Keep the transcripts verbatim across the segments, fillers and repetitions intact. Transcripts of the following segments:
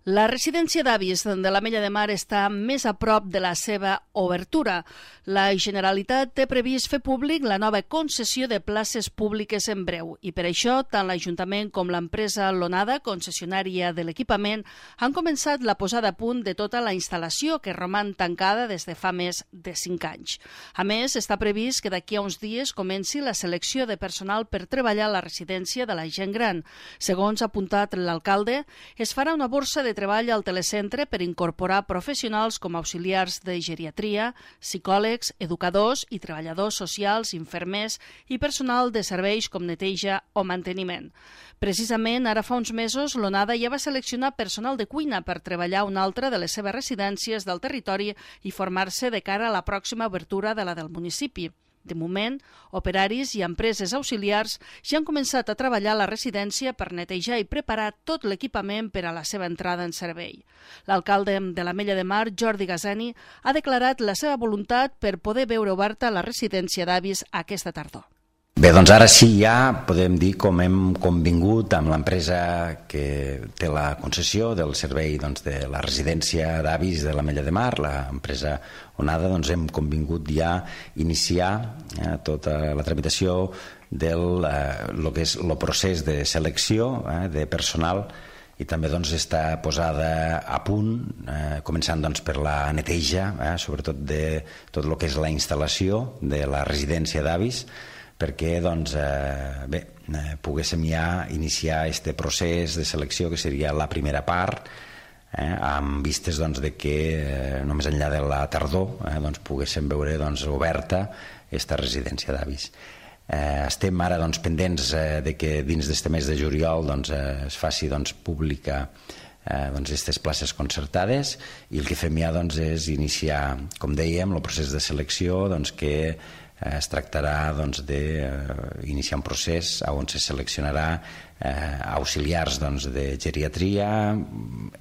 La residència d'avis de l'Ametlla de Mar està més a prop de la seva obertura. La Generalitat té previst fer públic la nova concessió de places públiques en breu i per això tant l'Ajuntament com l'empresa Lonada, concessionària de l'equipament, han començat la posada a punt de tota la instal·lació que roman tancada des de fa més de cinc anys. A més, està previst que d'aquí a uns dies comenci la selecció de personal per treballar a la residència de la gent gran. Segons ha apuntat l'alcalde, es farà una borsa de treball al telecentre per incorporar professionals com auxiliars de geriatria, psicòlegs, educadors i treballadors socials, infermers i personal de serveis com neteja o manteniment. Precisament, ara fa uns mesos, l'Onada ja va seleccionar personal de cuina per treballar a una altra de les seves residències del territori i formar-se de cara a la pròxima obertura de la del municipi. De moment, operaris i empreses auxiliars ja han començat a treballar a la residència per netejar i preparar tot l'equipament per a la seva entrada en servei. L'alcalde de l'Ametlla de Mar, Jordi Gazani, ha declarat la seva voluntat per poder veure oberta la residència d'avis aquesta tardor. Bé, doncs ara sí ja podem dir com hem convingut amb l'empresa que té la concessió del servei doncs, de la residència d'avis de l'Ametlla de Mar, l'empresa Onada, doncs hem convingut ja iniciar eh, tota la tramitació del eh, lo que és el procés de selecció eh, de personal i també doncs, està posada a punt, eh, començant doncs, per la neteja, eh, sobretot de tot el que és la instal·lació de la residència d'avis, perquè doncs, eh, bé, eh, poguéssim ja iniciar aquest procés de selecció que seria la primera part, eh, amb vistes doncs, de que eh, només enllà de la tardor eh, doncs, poguéssim veure doncs, oberta aquesta residència d'avis. Eh, estem ara doncs, pendents eh, de que dins d'aquest mes de juliol doncs, eh, es faci doncs, pública eh, doncs, aquestes places concertades i el que fem ja doncs, és iniciar, com dèiem, el procés de selecció doncs, que es tractarà doncs, d'iniciar un procés on se seleccionarà eh, auxiliars doncs, de geriatria,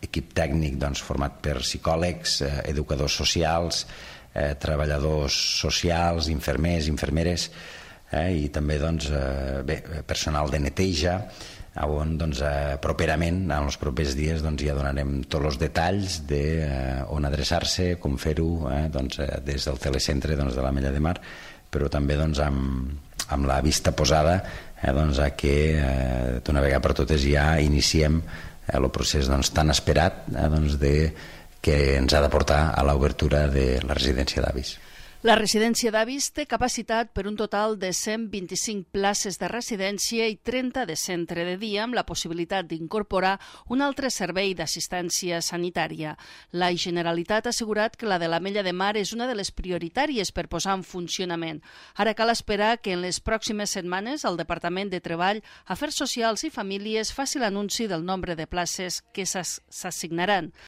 equip tècnic doncs, format per psicòlegs, eh, educadors socials, eh, treballadors socials, infermers, infermeres eh, i també doncs, eh, bé, personal de neteja, on doncs, eh, properament, en els propers dies, doncs, ja donarem tots els detalls de eh, on adreçar-se, com fer-ho eh, doncs, eh, des del telecentre doncs, de l'Ametlla de Mar, però també doncs, amb, amb la vista posada eh, doncs, a que eh, d'una vegada per totes ja iniciem eh, el procés doncs, tan esperat eh, doncs, de, que ens ha de portar a l'obertura de la residència d'avis. La residència d'avis té capacitat per un total de cent vint-i-cinc places de residència i trenta de centre de dia, amb la possibilitat d'incorporar un altre servei d'assistència sanitària. La Generalitat ha assegurat que la de l'Ametlla de Mar és una de les prioritàries per posar en funcionament. Ara cal esperar que en les pròximes setmanes el Departament de Treball, Afers Socials i Famílies faci l'anunci del nombre de places que s'assignaran.